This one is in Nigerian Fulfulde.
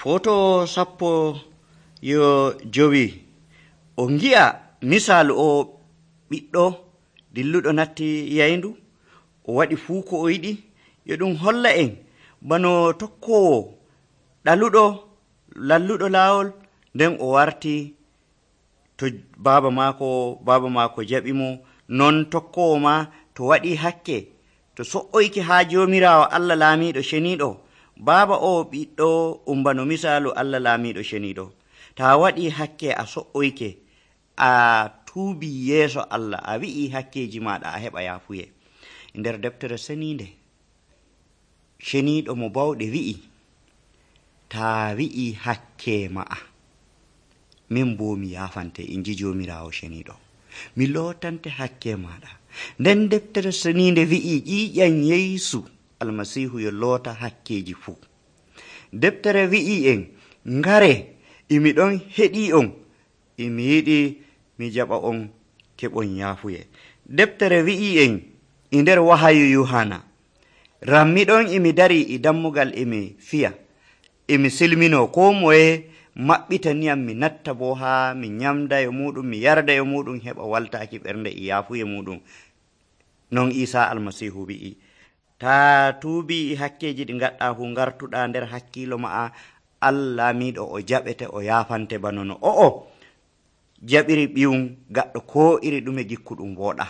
Foto sappo yo jowi o ngi'a misaalu o ɓiɗɗo dilluɗo natti yayndu o waɗi fuu ko o yiɗi yo ɗum holla en bano tokkowo ɗaluɗo lalluɗo laawol nden o warti to baaba maako jaɓi mo non tokkowo ma to waɗi hakke to so'oyke haa joomiraawo Allah laamiiɗo ceniiɗo baaba o ɓiɗɗo umbano misaalu Allah laamiiɗo ceniiɗo ta waɗi hakke a so'oyke a tuubi yeeso Allah a wi'i hakkeji maɗa a heɓa yaafuye nder deftere seniinde ceniiɗo mo bawɗe wi'i ta wi'i hakke ma'a min bo mi yaafante inji joomiraawo ceniiɗo mi lootante hakke maɗa nden deftere seniinde wi'i ƴiiƴam Yeesu almasihu yo loota hakkeji fuu deftere wi'i en ngare imi ɗon heɗi on imi yiɗi mi jaɓa on keɓon yaafuye deftere wi'i en e nder wahayu Yohana rammiɗon imi dari e dammugal imi fiya imi silmino ko moye maɓɓitaniyam mi natta bo haa mi nyamda e muɗum mi yarda e muɗum heɓa waltaaki ɓernde e yaafuye muɗum non Isa almasihu wi'i ta tuubi e hakkeji ɗi ngaɗɗa fu ngartuɗa nder hakkilo ma'a Allah miɗo o jaɓete o yaafante bano no o'o jaɓiri ɓiyum gaɗɗo ko iri ɗume gikkuɗum wooɗa